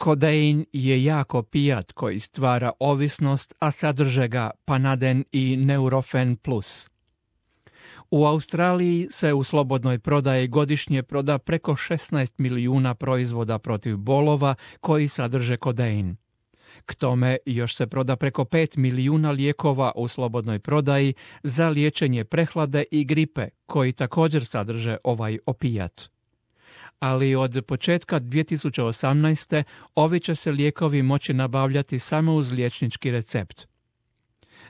Kodein je jak opijat koji stvara ovisnost, a sadrže ga Panaden i Neurofen Plus. U Australiji se u slobodnoj prodaji godišnje proda preko 16 milijuna proizvoda protiv bolova koji sadrže kodein. K tome još se proda preko 5 milijuna lijekova u slobodnoj prodaji za liječenje prehlade i gripe koji također sadrže ovaj opijat. Ali od početka 2018. ovi će se lijekovi moći nabavljati samo uz liječnički recept.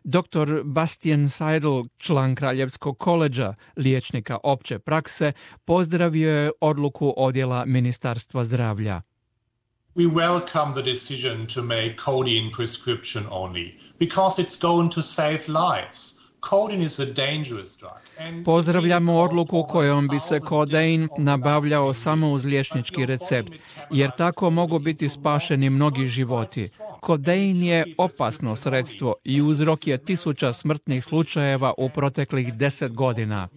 Dr. Bastian Seidel, član Kraljevskog koledža liječnika opće prakse, pozdravio je odluku odjela Ministarstva zdravlja. We welcome the decision to make codeine prescription only because it's going to save lives. Codeine is a dangerous drug. Pozdravljamo odluku kojom bi se kodein nabavljao samo uz liječnički recept, jer tako mogu biti spašeni mnogi životi. Kodein je opasno sredstvo i uzrok je 1000 smrtnih slučajeva u proteklih 10 godina.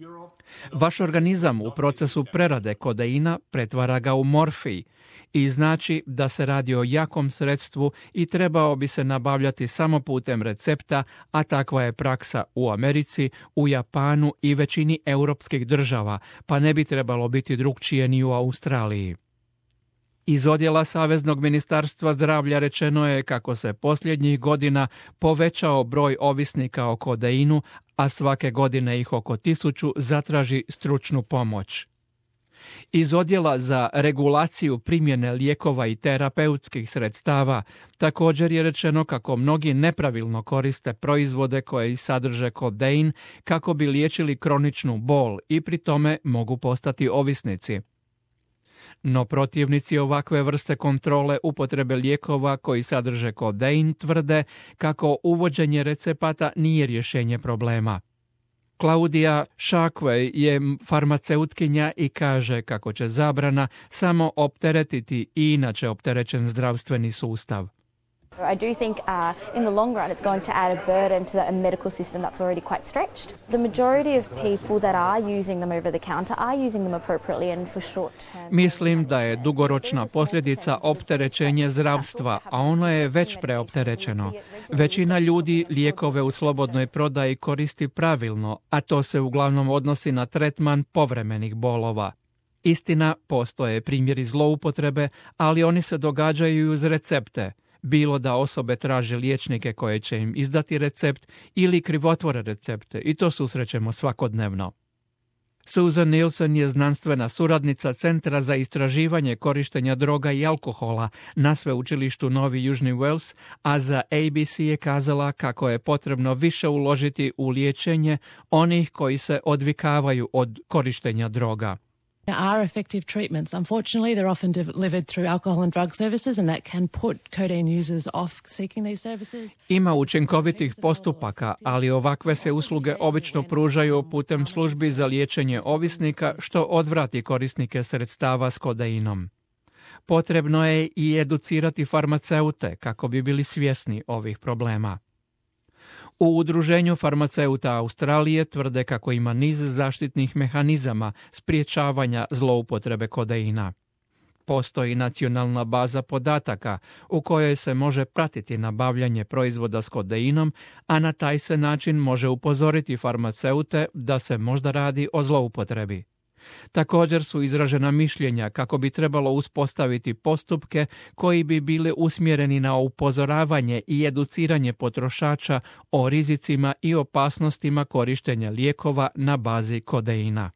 Vaš organizam u procesu prerade kodeina pretvara ga u morfij i znači da se radi o jakom sredstvu i trebao bi se nabavljati samo putem recepta, a takva je praksa u Americi, u Japanu i većini europskih država, pa ne bi trebalo biti drukčije ni u Australiji. Iz odjela Saveznog ministarstva zdravlja rečeno je kako se posljednjih godina povećao broj ovisnika o kodeinu, a svake godine ih oko 1000 zatraži stručnu pomoć. Iz odjela za regulaciju primjene lijekova i terapeutskih sredstava također je rečeno kako mnogi nepravilno koriste proizvode koji sadrže kodein kako bi liječili kroničnu bol i pri tome mogu postati ovisnici. No protivnici ovakve vrste kontrole upotrebe lijekova koji sadrže kodein tvrde kako uvođenje recepata nije rješenje problema. Claudia Shackway je farmaceutkinja i kaže kako će zabrana samo opteretiti i inače opterećen zdravstveni sustav. I do think in the long run it's going to add a burden to the medical system that's already quite stretched. The majority of people that are using them over the counter are using them appropriately and for short term. Mislim da je dugoročna posljedica opterećenje zdravstva, a ono je već preopterećeno. Većina ljudi lijekove u slobodnoj prodaji koristi pravilno, a to se uglavnom odnosi na tretman povremenih bolova. Istina, postoje primjeri zloupotrebe, ali oni se događaju uz recepte. Bilo da osobe traže liječnike koje će im izdati recept ili krivotvore recepte i to susrećemo svakodnevno. Susan Nielsen je znanstvena suradnica Centra za istraživanje korištenja droga i alkohola na sveučilištu Novi Južni Wales, a za ABC je kazala kako je potrebno više uložiti u liječenje onih koji se odvikavaju od korištenja droga. There are effective treatments. Unfortunately, they're often delivered through alcohol and drug services and that can put codeine users off seeking these services. Ima učinkovitih postupaka, ali ovakve se usluge obično pružaju putem službi za liječenje ovisnika, što odvrati korisnike sredstava s kodeinom. Potrebno je i educirati farmaceute kako bi bili svjesni ovih problema. U Udruženju farmaceuta Australije tvrde kako ima niz zaštitnih mehanizama sprječavanja zloupotrebe kodeina. Postoji nacionalna baza podataka u kojoj se može pratiti nabavljanje proizvoda s kodeinom, a na taj se način može upozoriti farmaceute da se možda radi o zloupotrebi. Također su izražena mišljenja kako bi trebalo uspostaviti postupke koji bi bili usmjereni na upozoravanje i educiranje potrošača o rizicima i opasnostima korištenja lijekova na bazi kodeina.